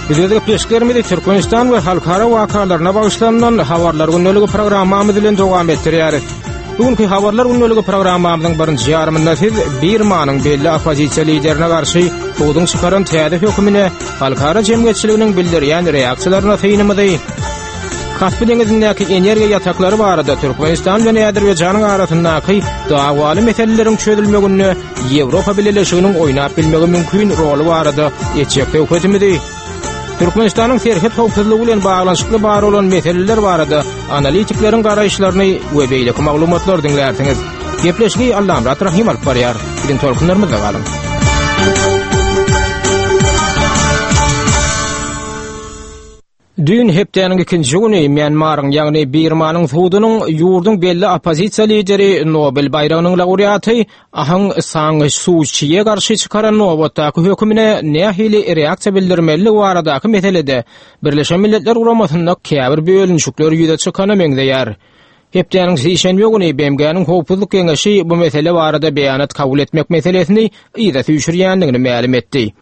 Biz öz gepleşiklerimizi Türkmenistan we halkara wakalaryna bagyşlanylan Habarlar gündeligi programmamyz bilen dowam etdirýäris. Bu günki Habarlar gündeligi programmamyzyň birinji ýarymynda siz Birmanyň belli oppozisiýa liderine garşy suduň çykaran täze hökümine halkara jemgyýetçiliginiň bildirýän reaksiýalaryna synymyzy, Kaspi deňizindäki energiýa ýataklary barada Türkmenistan bilen Azerbaýjanyň arasyndaky dawaly meseleleriň çözülmeginde Ýewropa Bileleşiginiň oýnap bilmegi mümkin roly barada etjek söhbetimizi, Türkmenistanyň serhet howpsuzlygy bilen baglanyşykly bar bolan meseleler barada analitikleriň garaýyşlaryny we beýleki maglumatlary diňlärsiňiz. Gepleşigi Allamyrat Rahym alyp barýar. Biziň tolkunlarymyzda galyň. Düýn hepdäniň ikinji güni Mýanmaryň, ýagny Birmanyň sudunyň ýurduň belli oppozisiýa lideri, Nobel baýragynyň laureaty Aung San Suu Çiýe garşy çykaran nobatdaky hökümine nähili reaksiýa bildirmelidigi baradaky meselede Birleşen Milletler Guramasynda käbir bölünişikler ýüze çykana meňzeýär. Hepdäniň sişenbe güni BMG-niň Howpsuzlyk Geňeşi bu mesele barada beýanat kabul etmek meselesini yza süýşürýändigini mälim etdi.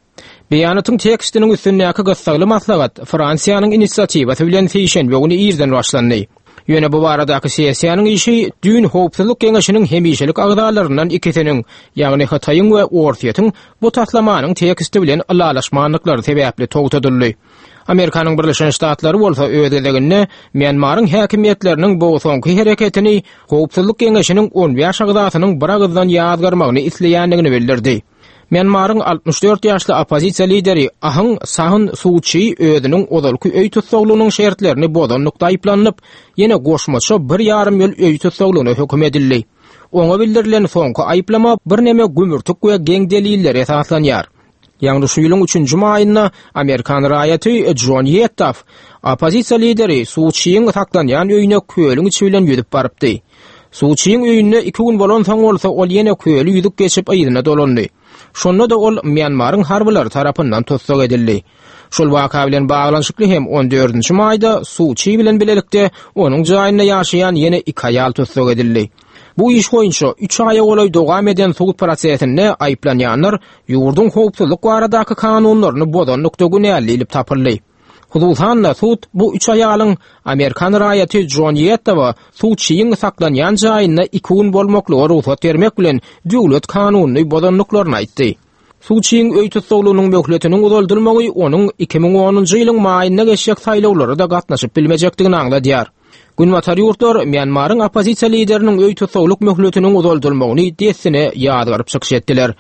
Beýanatyň tekstiniň üstündäki gyssagly maslahat Fransiýanyň inisiatiwasy bilen sişenbe güni irden başlandy. Ýöne bu baradaky sessiýanyň işi düýn Howpsuzlyk Geňeşiniň hemişelik agzalaryndan ikisiniň, ýagny Hytaýyň we Orsýetiň bu taslamanyň teksti bilen ylalaşmandyklary sebäpli togtadyldy. Amerikanyň Birleşen Ştatlary bolsa öz gezeginde Mýanmaryň häkimiýetleriniň bu soňky hereketini Howpsuzlyk Geňeşiniň on bäş agzasynyň biragyzdan ýazgarmagyny isleýändigini bildirdi. Mýanmaryň 64 ýaşly oppozisiýa lideri Aung San Suu Çi özüniň ozalky öý tussaglygynyň şertlerini bozanlykda aýyplanyp, ýene goşmaça bir ýarym ýyl öý tussaglygyna höküm edildi. Oňa bildirilen soňky aýyplama birneme gümürtik we geň delillere esaslanýar. Ýagny şu ýylyň üçünji maýynda amerikan raýaty Jon Ýettaf oppozisiýa lideri Suu Çiň saklanýan öýüne kölüň içi bilen ýüzüp barypdy. Suwçyň öýünde iki gün bolansoň bolsa ol ýene köli ýüzüp geçip yzyna dolandy. Şonda-da ol Mýanmaryň harbylary tarapyndan tussag edildi. Şol waka bilen baglanyşykly hem on dördünji maýda suwçy bilen bilelikde onuň jaýynda ýaşaýan ýene iki aýal tussag edildi. Bu iş boýunça üç aýa golaý dowam eden sud prosesinde aýyplanýanlar ýurduň howpsuzlyk baradaky kanunlaryny bozanlykda günäli diýlip tapyldy. Hususan-da, sud bu üç aýalyň amerikan raýaty Jon Ýettowa sudçyň saklanýan jaýynda iki gün bolmaklyga rugsat bermek bilen döwlet kanunyny bozandyklaryny aýtdy. Sudçyň öý tussaglygynyň möhletiniň uzaldylmagy onuň 2010-njy ýylyň maýynda geçjek saýlawlara-da gatnaşyp bilmejekdigini aňladýar. Günbatar ýurtlar Mýanmaryň oppozisiýa lideriniň öý tussaglyk möhletiniň uzaldylmagyny dessine ýazgaryp çykyş etdiler.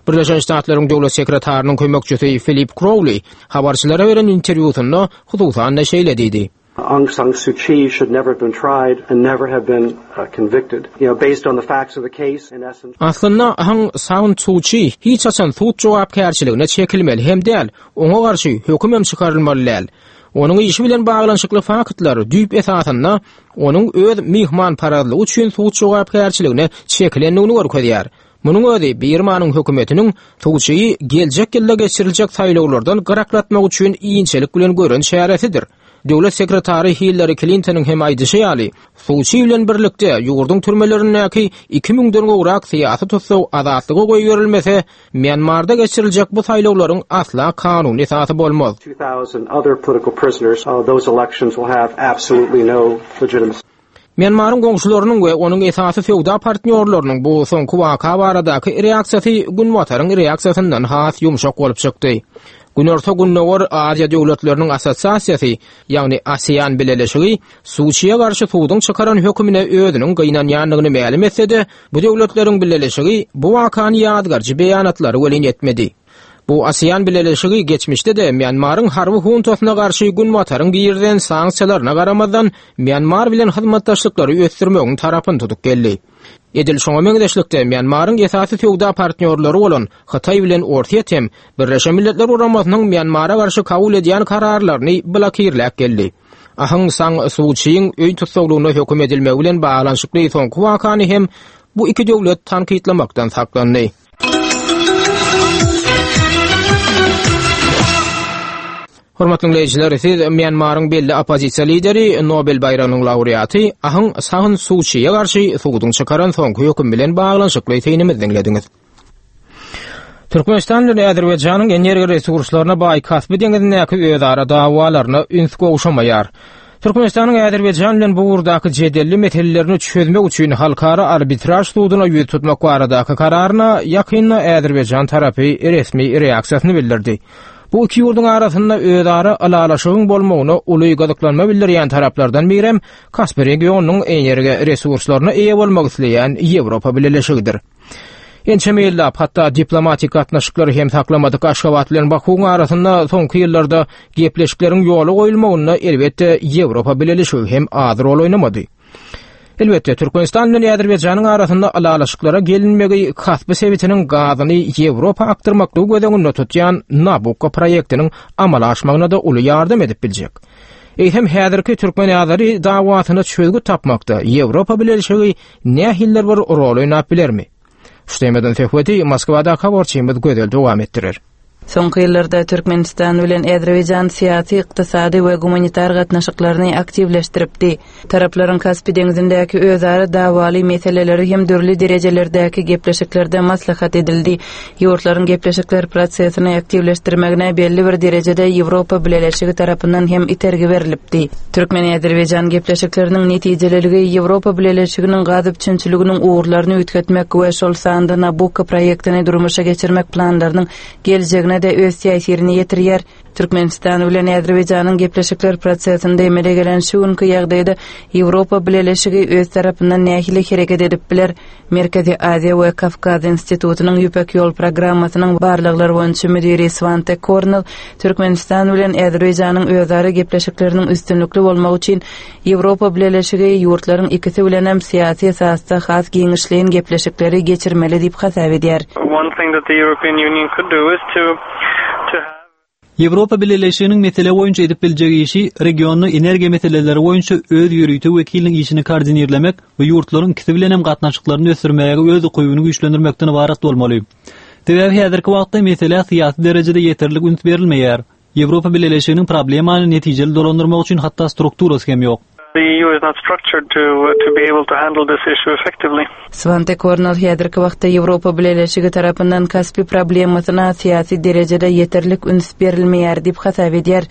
Birleşen Ştatlaryň döwlet sekretarynyň kömekçisi Filip Krowli habarçylara beren interwýusynda hususan-da şeýle diýdi. Aung San Suu Kyi should never have been tried and never have been convicted. You know, based on the facts of the case, in essence. Aslynda Aung San Suu Kyi hiç haçan sud jogapkärçiligine çekilmeli hem däl, oňa garşy höküm hem çykarylmaly däl. Onuň işi bilen baglanyşykly faktlar düýp esasynda onuň öz myhmanparazlygy üçin sud jogapkärçiligine çekilendigini görkezýär. Munuň özi Birmanyň hökümetiniň Suçiýi geljek ýylda geçiriljek saýlawlardan gyraklatmak üçin inçelik bilen gören çäresidir. Döwlet sekretary Hillari Klintonyň hem aýdyşy ýaly, Suçi bilen birlikde ýurduň türmelerindäki iki müňden gowrak syýasy tussag azatlyga goýberilmese, Mýanmarda geçiriljek bu saýlawlaryň asla kanuny esasy bolmaz. Mýanmaryň goňşularynyň we onuň esasy söwda partnýorlarynyň bu soňky waka baradaky reaksiýasy Günbataryň reaksiýasyndan has ýumşak bolup çykdy. Günorta-Gündogar Aziýa döwletleriniň assosiasiýasy, ýagny ASEAN bileleşigi Suçiýe garşy suduň çykaran hökümine özüniň gynanýandygyny mälim etse-de, Bu döwletleriň bileleşigi bu wakany ýazgaryjy beýanatlary welin etmedi. Bu ASEAN bileleşigi geçmişde-de Mýanmaryň harby huntasyna garşy Günbataryň girizen sanksiýalaryna garamazdan Mýanmar bilen hyzmatdaşlyklary ösdürmegiň tarapyny tutup geldi. Edil şoňa meňzeşlikde Mýanmaryň esasy söwda partnýorlary bolan Hytaý bilen Orsýet hem Birleşen Milletler Guramasynyň Mýanmara garşy kabul edýän kararlaryny blokirläp geldi. Aung San Suu Çiň öý tussaglygyna höküm edilmegi bilen baglanyşykly soňky wakany hem bu iki döwlet tankytlamakdan saklandy. Hormatly diňleýjiler, siz Mýanmaryň belli oppozisiýa lideri, Nobel baýragynyň laureaty Aung San Suu Çiýe garşy suduň çykaran soňky hökümi bilen baglanyşykly synymyzy diňlediňiz. Türkmenistan bilen Azerbaýjanyň energiýa resurslaryna baý Kaspi deňizindäki özara dawalaryna üns gowşamaýar. Türkmenistanyň Azerbaýjan bilen bu ugurdaky jedelli meselelerini çözmek üçin halkara arbitraž suduna ýüz tutmak baradaky kararyna ýakynda Azerbaýjan tarapy resmi reaksiýasyny bildirdi. Bu iki ýurduň arasynda özara ylalaşygyň bolmagyna uly gyzyklanma bildirýän taraplardan birem Kaspi regionynyň energiýa resurslaryna eýe bolmak isleýän Ýewropa Bileleşigidir. Ençeme ýyllap, hatda diplomatik gatnaşyklary hem saklamadyk Aşgabat bilen Bakuwyň arasynda soňky ýyllarda gepleşikleriň ýola goýulmagynda elbetde Ýewropa Bileleşigi hem az rol oýnamady. Elbetde, Türkmenistan bilen Azerbaýjanyň arasynda ylalaşyklara gelinmegi Kaspi sebitiniň gazyny Ýewropa akdyrmaklygy göz öňünde tutýan Nabukko proýektiniň amala aşmagyna-da uly ýardam edip biljek. Eýsem, häzirki türkmen-azeri dawasyna çözgüt tapmakda Ýewropa Bileleşigi nähilidir bir rol oýnap bilermi? Şu temadan söhbeti Moskwadaky habarçymyz Gözel dowam etdirer. Soňky ýyllarda Türkmenistan bilen Azerbaýjan syýasy, ykdysady we gumanitar gatnaşyklaryny aktiwleşdiripdi. Taraplaryň Kaspi deňzindäki özara dawaly meseleleri hem dürli derejelerdäki gepleşiklerde maslahat edildi. Ýurtlaryň gepleşikler prosesini aktiwleşdirmegine belli bir derejede Ýewropa Bileleşigi tarapyndan hem itergi berlipdi. Türkmen-azerbaýjan gepleşikleriniň netijeliligi Ýewropa Bileleşiginiň gaz üpjünçiliginiň ugurlaryny üýtgetmek we şol sanda Nabukko proýektini durmuşa geçirmek planlarynyň geljegine-de öz täsirini ýetirýär. Türkmenistan bilen Azerbaýjanyň gepleşikler prosesinde emele gelen şu günki ýagdaýda Ýewropa Bileleşigi öz tarapyndan nähili hereket edip biler? Merkezi Aziýa we Kawkaz institutynyň Ýüpek ýol programmasynyň barlaglar boýunça müdiri Swante Kornel Türkmenistan bilen Azerbaýjanyň özara gepleşikleriniň üstünlikli bolmagy üçin Ýewropa Bileleşigi ýurtlaryň ikisi bilenem syýasy esasda has giňişleýin gepleşikleri geçirmeli diýip hasap edýär. One thing that the European Union could do is to to have. Ýewropa Bileleşiginiň mesele boýunça edip biljek işi regionda energiýa meseleleri boýunça öz ýörite wekiliniň işini koordinirlemek we ýurtlaryň ikisi bilen hem gatnaşyklaryny ösdürmäge öz ukybyny güýçlendirmekden ybarat bolmaly. Sebäbi häzirki wagtda meselä syýasy derejede ýeterlik üns berilmeýär. Ýewropa Bileleşiginiň problemany netijeli dolandyrmak üçin hatda strukturasy hem ýok. The EU is not structured to to be able to handle this issue effectively. Swante Kornel häzirki wagtda Ýewropa Bileleşigi tarapyndan Kaspi problemasyna syýasy derejede ýeterlik üns berilmeýär diýip hasap edýär.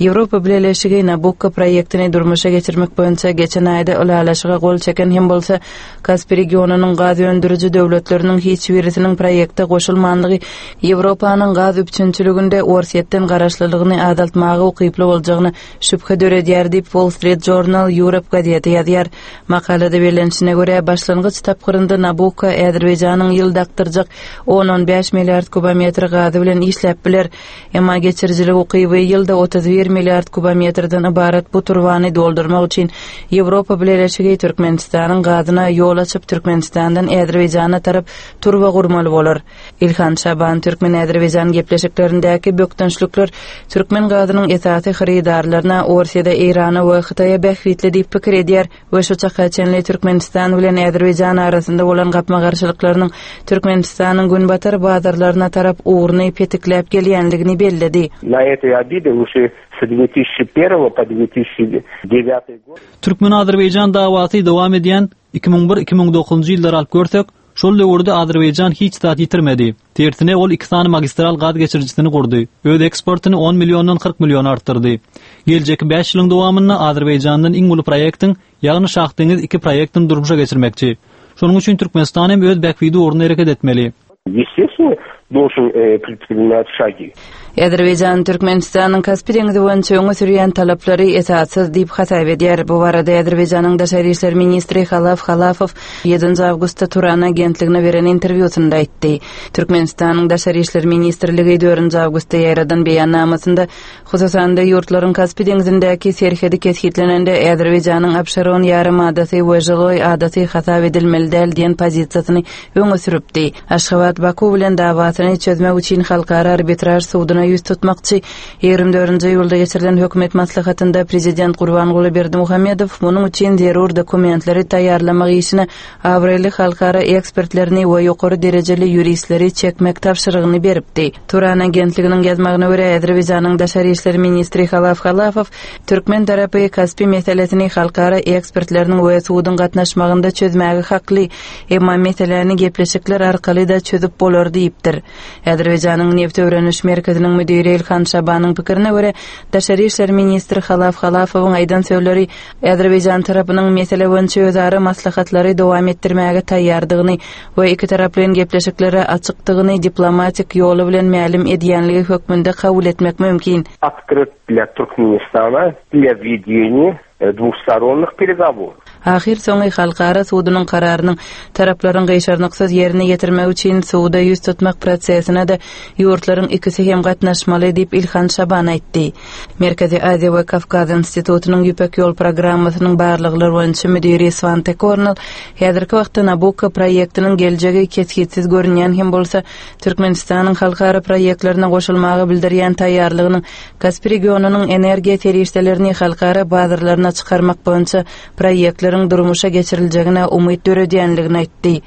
Ýewropa Bileleşigi Nabukko proýektini durmuşa geçirmek boýunça geçen aýda ylalaşyga gol çeken hem bolsa, Kaspi regionynyň gaz öndüriji döwletleriniň hiç birisiniň proýekte goşulmanlygy Ýewropanyň gaz üpjünçiliginde Orsýetden garaşlylygyny azaltmaga ukyply boljagyna şübhe döredýär diýip, Wall Street Journal Europe gazeti ýazýar. Makalada bellenişine görä, başlangyç tapgyrynda Nabukko Azerbaýjanyň ýylda akdyrjak on-on bäş milliard kubometr gazy bilen işläp biler. Emma geçirijilik ukyby ýylda 31 milliard kubometrden ybarat bu turbany doldurmak üçin Ýewropa Bileleşigi Türkmenistanyň gazyna ýol açyp, Türkmenistandan Azerbaýjana tarap turba gurmaly bolar. Ilhan Şaban türkmen-azerbaýjan gepleşiklerindäki bökdençlikler türkmen gazynyň esasy hyrydarlaryna Orsýede, Eýrana we Hytaýa bähbitli diýip pikir edýär we şu çaka çenli Türkmenistan bilen Azerbaýjan arasynda bolan gapma-garşylyklarynyň Türkmenistanyň günbatar bazarlaryna tarap ugruny petikläp gelýändigini belledi. Na etoý obide uşi s dwe tysçi perwogo po dwe tysçi devýatyý god. Türkmen-azerbaýjan dawasy dowam edýän 2001, 2009-njy ýyllary alyp görsek, Şol döwürde Azerbaýjan hiç zat ýitirmedi. Tersine, ol iki sany magistral gaz geçirijisini gurdy, öz eksportyny on milliondan 40 milliona artdyrdy. Geljekki bäş ýylyň dowamynda Azerbaýjandan iň uly proýektiň, ýagny Şahdeňiz iki proýektini durmuşa geçirmekçi. Şonuň üçin Türkmenistan hem öz bähbidi ugrunda hereket etmeli. Ýestestwno, dolžen predprinimat şagi. Azerbaýjan Türkmenistanyň Kaspi deňzi boýunça öňe sürýän talaplary esassyz diýip hasap edýär. Bu barada Azerbaýjanyň daşary işler ministri Halaf Halafow ýedinji awgustda Turan agentligine beren interwýusynda aýtdy. Türkmenistanyň Daşary işler ministrligi dördünji awgustda ýaýradan beýannamasynda, hususan-da, ýurtlaryň Kaspi deňzindäki serhedi kesgitlenende Azerbaýjanyň Abşeron ýarym adasy we Žiloý adasy hasap edilmeli däl diýen pozisiýasyny öňe sürüpdi. Aşgabat Baku bilen dawasyny çözmek üçin Halkara arbitraž suduna ýüz tutmakçy. 24-nji iýulda geçirilen hökümet maslahatynda prezident Gurbanguly Berdimuhamedow munuň üçin zerur dokumentleri taýýarlamak işine abraýly halkara ekspertlerini we ýokary derejeli ýuristleri çekmek tabşyrygyny beripdi. Turan agentliginiň ýazmagyna görä, Azerbaýjanyň daşary işler ministri Halaf Halafow türkmen tarapy Kaspi meselesini halkara ekspertleriniň we suduň gatnaşmagynda çözmäge hakly, Emma meseläni gepleşikler arkaly-da çözüp bolar diýipdir. Azerbaýjanyň Nebti öwreniş merkeziniň müdiri Ilhan Şabanyň pikirine görä, daşary işler ministri Halaf Halafowyň aýdan sözleri Azerbaýjan tarapynyň mesele boýunça özara maslahatlary dowam etdirmäge taýýardygyny we ikitaraplaýyn gepleşiklere açykdygyny diplomatik ýoly bilen mälim edýänligi hökmünde kabul etmek mümkin. Otkryt dla Türkmenistana dla wedeniýa dwustoronnyh peregoworów. Ahyrsoňy Halkara sudunyň kararynyň taraplaryň gyşarnyksyz ýerine ýetirmegi üçin suda ýüz tutmak prosesine-de ýurtlaryň ikisi hem gatnaşmaly diýip, Ilhan Şaban aýtdy. Merkezi Aziýa we Kawkaz institutynyň Ýüpek ýol programmasynyň barlaglar boýunça müdiri Swante Kornel häzirki wagtda Nabukko proýektiniň geljegi kesgitsiz görünýän hem bolsa, Türkmenistanyň halkara proýektlerine goşulmaga bildirýän taýýarlygynyň Kaspi regionynyň energiýa serişdelerini halkara bazarlaryna çykarmak boýunça proýektleriň durmuşa geçiriljegine umyt döredýändigini aýtdy.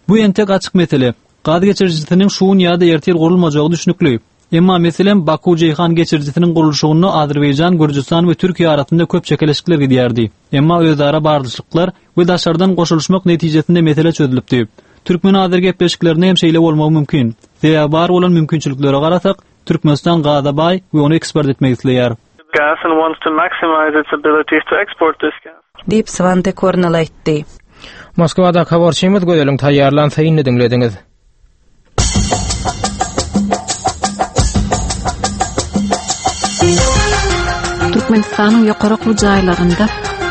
Bu entek açyk mesele. Gaz geçirijisiniň şu gün ýa-da ertir gurulmajagy düşnükli. Emma, meselem, Baku-Jeýhan geçirijisiniň gurluşygynda Azerbaýjan, Gürjüstan we Türkiýe arasynda köp çekeleşikler gidýärdi. Emma özara barlyşlyklar we daşardan goşulyşmak netijesinde mesele çözülipdi. Türkmen-azer gepleşiklerinde hem şeýle bolmagy mümkin. Sebäbi bar bolan mümkinçiliklere garasak, Türkmenistan gaza baý we ony eksport etmek isleýär. Gas and wants to maximize its abilities to export this gas. Diýip, Swante Kornel aýtdy. Moskwadaky habarçymyz Gözeliň taýýarlan synyny diňlediňiz. Türkmenistanyň ýokary okuw jaýlarynda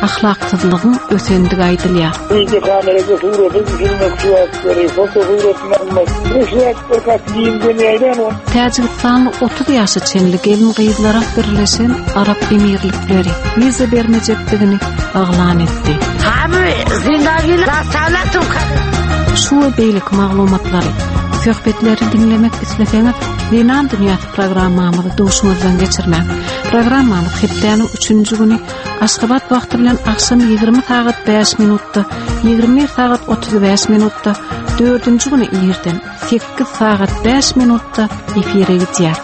ahlaksyzlygyň ösendigi aýdylýar. Wideokamerada surata düşürmek suratlary, fotosuratyny almak, bu suratlar gaty giňden ýaýran. Täjigistanly 30 ýaşa çenli gelin-gyzlara Birleşen Arap Emirlikleri wiza bermejekdigini yglan etdi. Şu we beýleki maglumatlary, söhbetleri diňlemek isleseňiz, Zenan dünýäsi programmamyzy duşuňyzdan geçirmäň. Programmamyz hepdäniň üçünji güni Aşgabat wagty bilen agşam 20 sagat 5 minutda, 21 sagat 35 minutda, dördünji güni irden 8 sagat 5 minutda efire gidýär.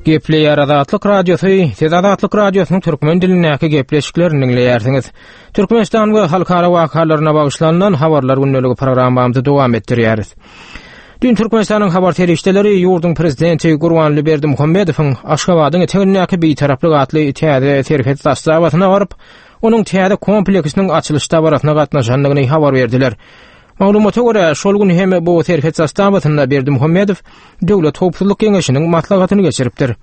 Gepleýär Azatlyk Radiosy, siz Azatlyk Radiosynyň türkmen dilindäki gepleşiklerini diňleýärsiňiz. Türkmenistan we halkara wakalaryna bagyşlanylan habarlar gündeligi programmamyzy dowam etdirýäris. Düýn Türkmenistanyň habar serişdeleri ýurduň prezidenti Gurbanguly Berdimuhamedowyň Aşgabadyň etegindäki Bitaraplyk atly täze serhet zastawasyna baryp, onuň täze kompleksiniň açylyş dabarasyna gatnaşandygyny habar berdiler. Maglumata görä, şol gün hem bu serhet zastawasynda Berdimuhamedow Döwlet howpsuzlyk geňeşiniň maslahatyny geçiripdir.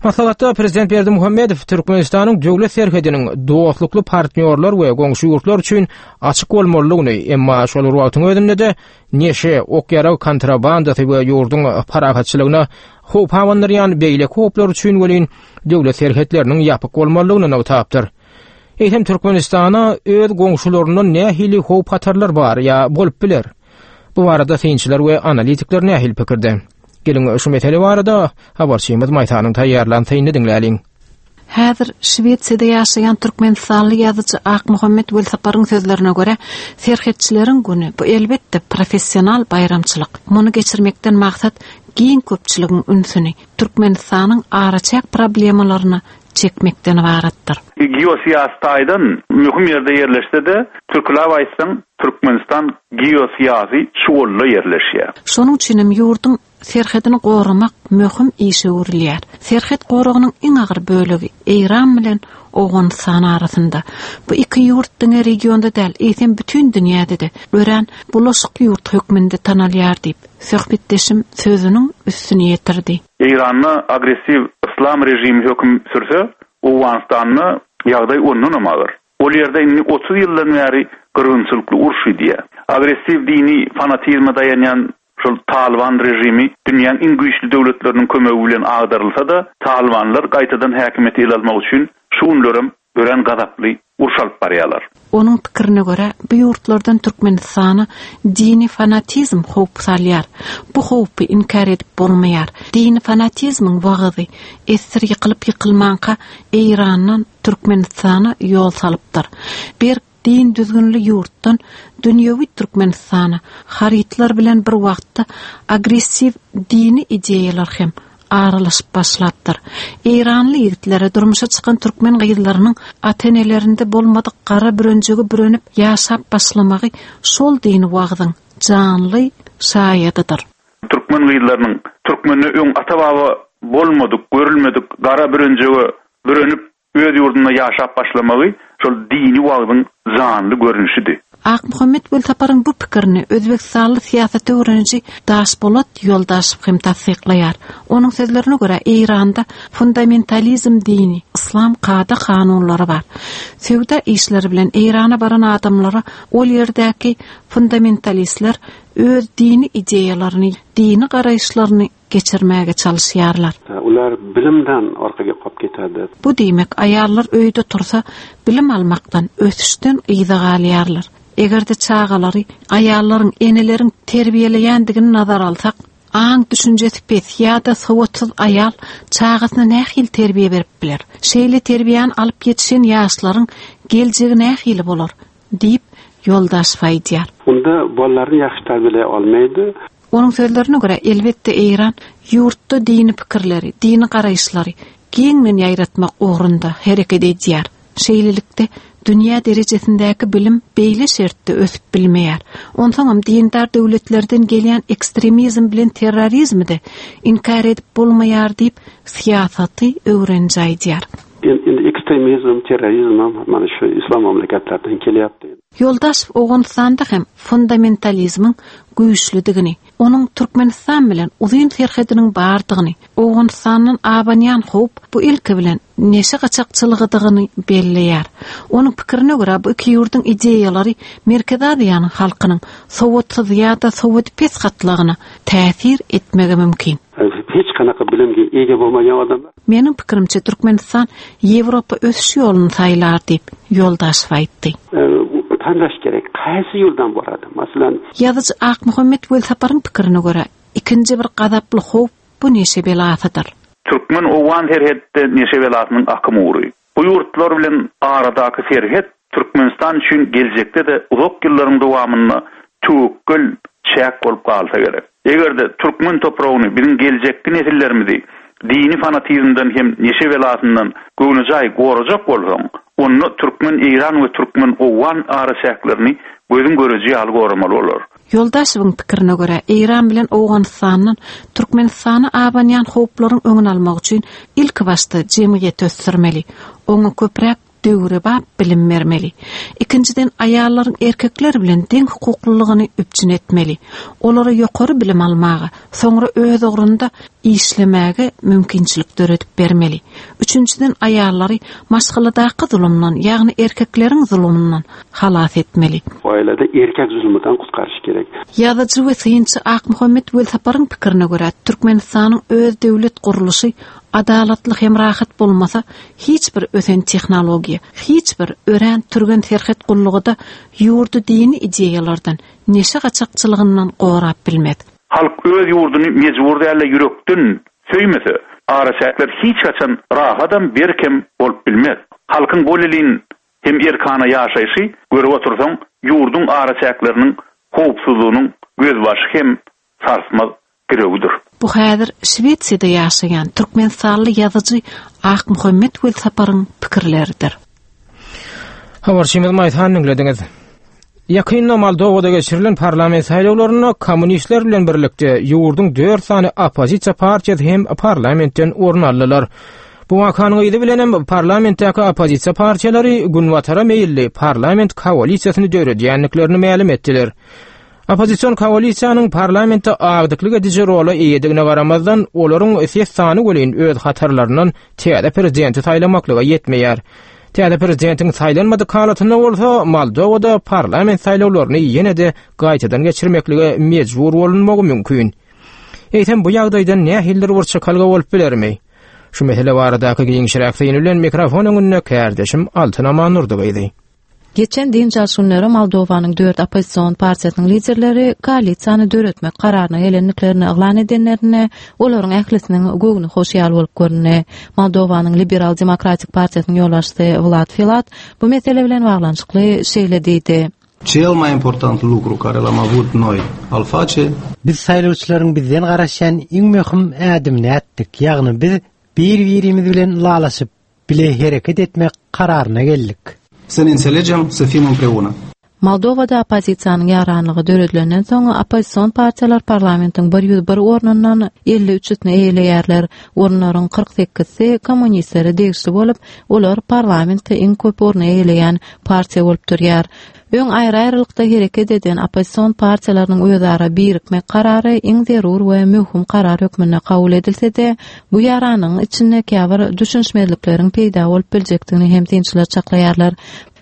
Maslahatda prezident Berdimuhamedow Türkmenistanyň döwlet serhediniň dostlukly partnýorlar we goňşy ýurtlar üçin açyk bolmalydygyny, emma şol bir wagtyň özünde-de neşe, ok-ýarag kontrabandasy we ýurduň parahatçylygyna howp abandyrýan beýleki howplar üçin welin döwlet serhetleriniň ýapyk bolmalydygyny nygtapdyr. Eýsem Türkmenistana öz goňşularyndan nähili howp-hatarlar bar ýa bolup biler? Bu barada synçylar we analitikler nähili pikirde? Geliň şu mesele barada habarçymyz Maýsanyň taýýarlan synyny diňläliň. Häzir Şwesiýada ýaşaýan türkmenistanly ýazyjy Akmuhammet Welsaparyň sözlerine görä, Serhetçileriň güni, bu elbetde, professional baýramçylyk. Muny geçirmekden maksat giň köpçüligiň ünsüni Türkmenistanyň araçäk problemalaryna çekmekden ybaratdyr. Geosyýasy taýdan möhüm ýerde ýerleşse-de, türküläp aýtsaň, Türkmenistan geosyýasy çuwalda ýerleşýär. Şonuň üçin hem ýurduň serhedini goramak möhüm işe öwrülýär. Serhet goragynyň iň agyr bölegi Eýran bilen Owganystan arasynda. Bu iki ýurt diňe regionda däl, eýsem bütin dünýäde-de örän bulaşyk ýurt hökmünde tanalýar diýip, söhbetdeşim sözüniň üstüni ýetirdi. Eýranda agressiw yslam režimi höküm sürse, Owganystanda ýagdaý ondanam agyr. Ol ýerde indi 30 ýyldan bäri gyrgynçylykly uruş gidýär. Agressiw dini fanatizme daýanýan şol Talyban režimi dünýäň iň güýçli döwletleriniň kömegi bilen agdarylsa-da, talybanlar gaýtadan häkimiýeti ele almak üçin şu günlerem örän gazaply uruş alyp barýarlar. Onuň pikirine görä, bu ýurtlardan Türkmenistana dini fanatizm howp salýar. Bu howpy inkär edip bolmaýar. Dini fanatizmiň wagyzy essir ýykylyp-ýykylmanka Eýrandan Türkmenistana ýol salypdyr. Berk din düzgünli ýurtdan dünýewi Türkmenistana harytlar bilen bir wagtda agressiw dini ideýalar hem. aralaşyp başlapdyr. Eýranly ýigitlere durmuşa çykan türkmen gyzlarynyň ata-enelerinde bolmadyk gara bürenjege bürenip ýaşap başlamagy şol dini wagzyň janly şaýadydyr. Türkmen gyzlarynyň türkmende öň ata-baba bolmadyk, görülmedik gara bürenjege bürenip öz ýurdunda ýaşap başlamagy şol dini wagzyň janly görnüşidi. Akmuhammet Welsaparyň bu pikirini özbegistanly syýasaty öwreniji Daşpolat Ýoldaşow hem tassyklaýar. Onuň sözlerine görä, Eýranda fundamentalizm dini, yslam kada-kanunlary bar. Söwda işleri bilen Eýrana baran adamlara ol ýerdäki fundamentalistler öz dini ideýalaryny, dini garaýyşlaryny geçirmäge çalyşýarlar. Olar bilimden orkaga qolib ketadi. Bu diýmek, aýallar öýde tursa, bilim almakdan, ösüşden yza galýarlar. Eger-de çagalary aýallaryň, eneleriň terbiýeleýändigini nazara alsak, aň-düşünjesi pes ýa-da sowatsyz aýal çagasyna nähili terbiýe berip biler? Şeýle terbiýäni alyp ýetişen ýaşlaryň geljegi nähili bolar? Diýip, Ýoldaşow aýdýar. Unda bolalarni ýahshi tarbiyalay olmaydi. Onuň sözlerine görä, elbetde Eýran ýurtda dini pikirleri, dini garaýyşlary giňden ýaýratmak ugrunda hereket edýär. Şeýlelikde, dünýä derejesindäki bilim beýle şertde ösüp bilmeýär. Onsoňam dindar döwletlerden gelýän ekstremizm bilen terrorizmi-de inkär edip bolmaýar diýip, syýasaty öwreniji aýdýar. Endi ekstremizm, terrorizm ham mana shu islom mamlakatlaridan kelyapti. Ýoldaşow Owganystanda hem fundamentalizmiň güýçlüdigini, onuň Türkmenistan bilen uzyn serhediniň bardygyny, Owganystandan abanýan howp bu ilki bilen neşe gaçakçylygydygyny belleýär. Onuň pikirine görä, bu iki ýurduň ideýalary Merkezi Aziýanyň halkynyň sowatsyz ýa-da sowady pes gatlagyna täsir etmegi mümkin. Hiç qanaqa bilimga ega bo'lmagan odamlar. Meniň pikirimçe, Türkmenistan Ýewropa ösüş ýoluny saýlar diýip, Ýoldaşow aýtdy. Tanlash kerak, qaysi yo'ldan boradi? Masalan. Ýazyjy Akmuhammet Welsaparyň pikirine görä, ikinji bir gazaply howp bu neşe belasydyr. Türkmen-owgan serhetde neşe belasynyň akym ugry. Bu ýurtlar bilen aradaky serhet Türkmenistan üçin geljekde-de uzak ýyllaryň dowamynda töwekgel çäk bolup galsa gerek. Eger-de türkmen topragyny, biziň geljekki nesillerimizi dini fanatizmden hem neşe belasyndan göwnejaý gorajak bolsaň, onda türkmen-eýran we türkmen-owgan araçäklerini gözüň göreji ýaly goramaly bolar. Ýoldaşewiň pikirine görä, Eýran bilen Owganystandan Türkmenistana abanýan howplaryň öňüni almak üçin ilkibaşda jemgyýeti ösdürmeli, oňa köpräk döwrebap bilim bermeli. Ikinjiden, aýallaryň erkekler bilen deň hukuklylygyny üpjün etmeli. Olara ýokary bilim almaga, soňra öz ugrunda işlemäge mümkinçilik döredip bermeli. Üçünjiden, aýallary maşgaladaky zulumdan, ýagny erkekleriň zulumyndan halas etmeli. Oilada erkek zulmudan qutqarish kerak. Ýazyjy we synçy Akmuhammet Welsaparyň pikirine görä, Türkmenistanyň öz döwlet gurluşy adalatly hem rahat bolmasa, hiç bir ösen tehnologiýa, hiç bir örän türgen serhet gullugy-da ýurdy dini ideýalardan, neşe gaçakçylygyndan gorap bilmez. Halk öz ýurduny mejbur däl-de ýürekden söýmese, araçäkler hiç haçan rahadam, berkem bolup bilmez. Halkyň bolelin hem erkana ýaşaýşy görüp otursaň, ýurduň araçäkleriniň howpsuzlygynyň gözbaşy hem sarsmaz girewidir. Bu häzir Şwesiýada ýaşaýan türkmenistanly ýazyjy Akmuhammet Welsaparyň pikirleridir. Habarçymyz Maýsany diňlediňiz. Ýakynda Moldowada geçirilen parlament saýlawlarynda kommunistler bilen birlikde ýurduň 4 sany oppozisiýa partiýasy hem parlamentden orun aldylar. Bu wakanyň yzy bilen hem parlamentdäki oppozisiýa partiýalary günbatara meýilli parlament koalisiýasyny döredýändiklerini mälim etdiler. Oppozision koalisiýanyň parlamentde agdyklyk ediji rola eýedigine garamazdan, olaryň ses sany welin öz hatarlaryndan täze prezidenti saýlamaklyga ýetmeýär. Täze prezidentiň saýlanmadyk halatynda bolsa, Moldowada parlament saýlawlaryny ýene-de gaýtadan geçirmeklige mejbur bolunmagy mümkin. Eýsem, bu ýagdaýdan nähilidir bir çykalga bolup bilermi? Şu mesele baradaky giňişräk syny bilen mikrofon öňünde kärdeşim Altyn Amannurdy gyzy. Geçen dynç alyş günleri Moldowanyň dört oppozision partiýasynyň liderleri koalisiýany döretmek kararyna gelendiklerini yglan edenlerinde, olaryň ählisiniň göwni hoş ýaly bolup göründi. Moldowanyň Liberal demokratik partiýasynyň ýolbaşçysy Wlad Filat bu mesele bilen baglanyşykly şeýle diýdi. Cel mai important lucru care l-am avut noi al face. Biz saýlawçylaryň bizden garaşýan iň möhüm ädimini ätdik, ýagny biz bir-birimiz bilen ylalaşyp, bile hereket etmek kararyna geldik. Să ne înțelegem, să fim împreună. Moldowada oppozisiýanyň ýaranlygy döredilenden soň, oppozision partiýalar parlamentiň 101 ornundan 53-sini eýeleýärler. Orunlaryň 48-si kommunistlere degişli bolup, olar parlamentde iň köp orny eýeleýän partiýa bolup durýar. Öň aýry-aýrylykda hereket eden oppozision partiýalarynyň özara birikmek karary iň zerur we möhüm karar hökmünde kabul edilse-de, bu ýaranlygyň içinde käbir düşünişmezlikleriň peýda bolup biljekdigini hem synçylar çaklaýarlar.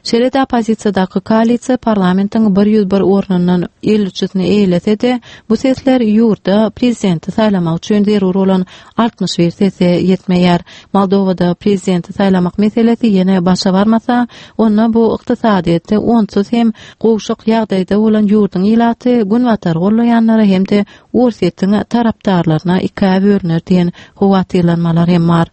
Şeýle-de oppozisiýadaky koalisiýa parlamentiň 101 ornundan 53-sini eýelese-de, bu sesler ýurtda prezidenti saýlamak üçin zerur bolan 61 sese ýetmeýär. Moldowada prezidenti saýlamak meselesi ýene başa barmasa, onda bu ykdysadyýetde onsuz hem gowşak ýagdaýda bolan ýurduň ilaty Günbatary gollaýanlara hem-de Orsýetiň tarapdarlaryna ikä bölüner diýen howatyrlanmalar hem bar.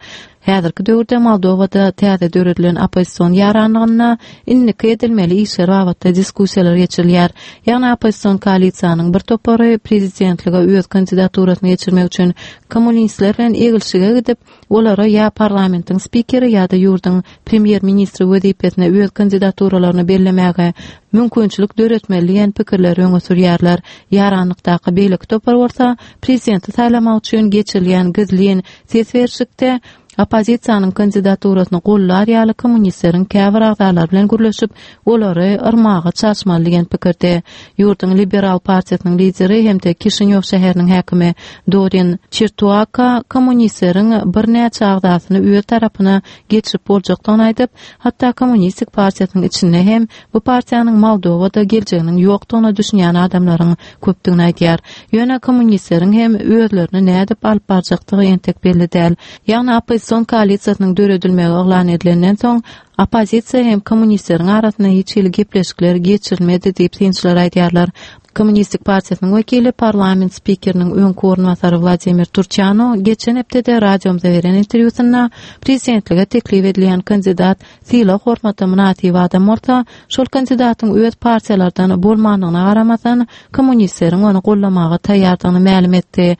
Häzirki döwürde Moldowada täze döredilen oppozision ýaranlygynda indiki edilmeli işler babatda diskussiýalar geçirilýär. Ýagny oppozision koalisiýanyň bir topary prezidentlige öz kandidaturasyny geçirmek üçin kommunistler bilen eglşige gidip, olara ýa parlamentiň spikeri ýa-da ýurduň premýer-ministri wezipesine öz kandidaturalaryny bellemäge mümkinçilik döretmeli diýen pikirleri öňe sürýärler. Ýaranlykdaky beýleki topar bolsa prezidenti saýlamak üçin geçirilýän gizlin Ses berişlikde oppozisiýanyň kandidaturasyny gollar ýaly kommunistleriň käbir agzalary bilen gürleşip, olary yrmaga çalyşmaly diýen pikirde. Ýurduň Liberal partiýasynyň lideri hem-de Kişinýow şäheriniň häkimi Dorin Çirtuaka kommunistleriň birnäçe agzasyny öz tarapyna geçirip boljakdygyny aýdyp, hatda Kommunistik partiýasynyň içinde hem bu partiýanyň Moldowada geljeginiň ýokdugyna düşünýän adamlaryň köpdügini aýdýar. Ýöne kommunistleriň hem özlerini nädip alyp barjakdygy entek belli däl. Ýagny oppozision koalisiýasynyň döredilmegi yglan edilenden soň, oppozisiýa hem kommunistleriň arasynda hiç hili gepleşikler geçirilmedi diýip synçylar aýdýarlar. Kommunistik partiýasynyň wekili, parlament spikeriniň öňki orunbasary Wladimir Turçano geçen hepdede radiomyza beren interwýusynda prezidentlige teklip edilýän kandidat sylag-hormata mynasyp adam bolsa, şol kandidatyň öz partiýalardan bolmandygyna garamazdan, kommunistleriň ony goldamaga taýýardygyny mälim etdi.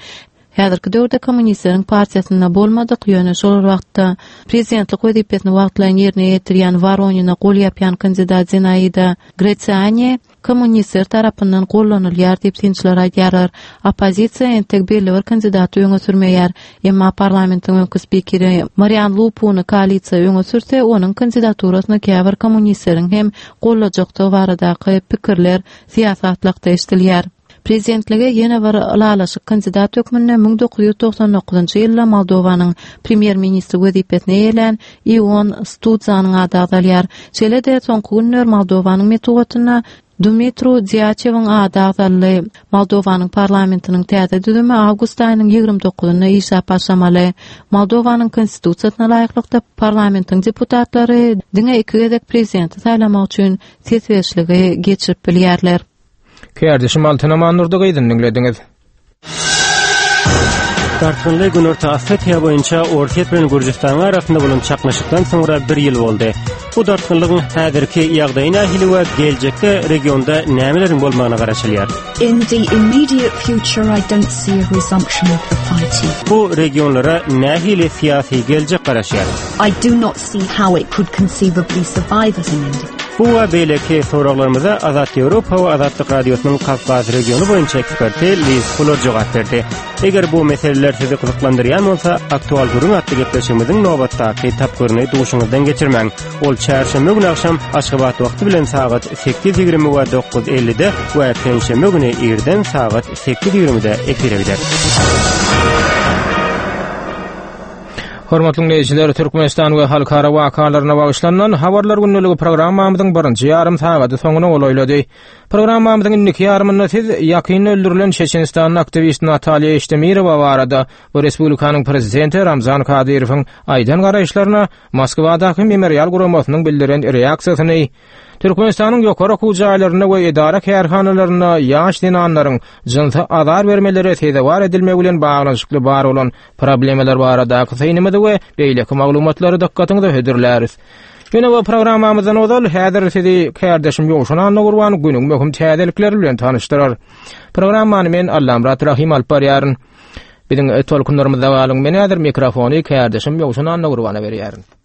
Häzirki döwürde kommunistleriň partiýasynda bolmadyk, ýöne şol bir wagtda prezidentlik wezipesini wagtlaýyn ýerine ýetirýän Woronina gol ýapýan kandidat Zinaida Gresiani kommunistler tarapyndan gollanylýar diýip synçylar aýdýarlar. Oppozisiýa entek belli bir kandidaty öňe sürmeýär. Emma parlamentiň öňki spikeri Marian Lupuny koalisiýa öňe sürse, onuň kandidaturasyny käbir kommunistleriň hem gollajakdygy baradaky pikirler syýasy gatlakda eşidilýär. Prezidentlige ýene bir ylalaşyk kandidat hökmünde 1999-njy ýylda Moldowanyň premýer-ministri wezipesini eýelän Ion Studzanyň ady agzalýar. Şeýle-de, soňky günler Moldowanyň metbugatynda Dumitru Diaçewiň ady agzaldy. Moldowanyň parlamentiniň täze düzümi awgust aýynyň 29-ynda işläp başlamaly. Moldowanyň Konstitusiýasyna laýyklykda, parlamentiň deputatlary diňe iki gezek prezidenti saýlamak üçin ses berişligi geçirip bilýärler. Kärdeşim Altyn Amandurdy gyzyny diňlediňiz. Dartgynly Günorta Osetiýa boýunça Orsýet bilen Gürjüstanyň arasynda bolan çaknyşykdan soňra bir ýyl boldy. Bu dartgynlygyň häzirki ýagdaýy nähili we geljekde regionda nämeleriň bolmagyna garaşylýar? In the immediate future I don't see a resumption of the fighting. Bu regionlara nähili syýasy geljek garaşýar? I do not see how it could conceivably survive as an independent. Bu we beýleki soraglarymyza Azat Ýewropa we Azatlyk Radiosynyň Kawkaz regiony boýunça eksperti Liz Fuller jogap berdi. Eger bu meseleler sizi gyzyklandyrýan bolsa, Aktual gürrüň atly gepleşigimiziň nobatdaky tapgyryny duşuňyzdan geçirmäň. Ol çarşenbe güni agşam Aşgabat wagty bilen sagat 8:20 we 9:50-de we penşenbe güni irden sagat 8:20-de efire gider. Hormatly diňleýjiler, Türkmenistan we halkara wakalaryna bagyşlanylan Habarlar gündeligi programmamyzyň birinji ýarym sagady soňuna golaýlady. Programmamyzyň indiki ýarymynda siz ýakynda öldürilen Çeçenistanly aktiwist Natalýa Eştemirowa barada we respublikanyň prezidenti Ramzan Kadyrowyň aýdan garaýyşlaryna Moskwadaky Memorial guramasynyň bildiren reaksiýasyny, Türkmenistanyň ýokary okuw jaýlarynda we edara-kärhanalarynda ýaş zenanlaryň jynsy azar bermelere sezewar edilmegi bilen baglanyşykly bar bolan problemalar baradaky synymyzy we beýleki maglumatlary dykgatyňyza hödürläris. Ýöne bu programmamyzdan ozal häzir sizi kärdeşim Ýowşan Annagurban günüň möhüm täzelikleri bilen tanyşdyrar. Programmany men Allamyrat Rahym alyp barýaryn. Biziň tolkunlarymyzda galyň. Men häzir mikrofony kärdeşim Ýowşan Annagurbana berýärin.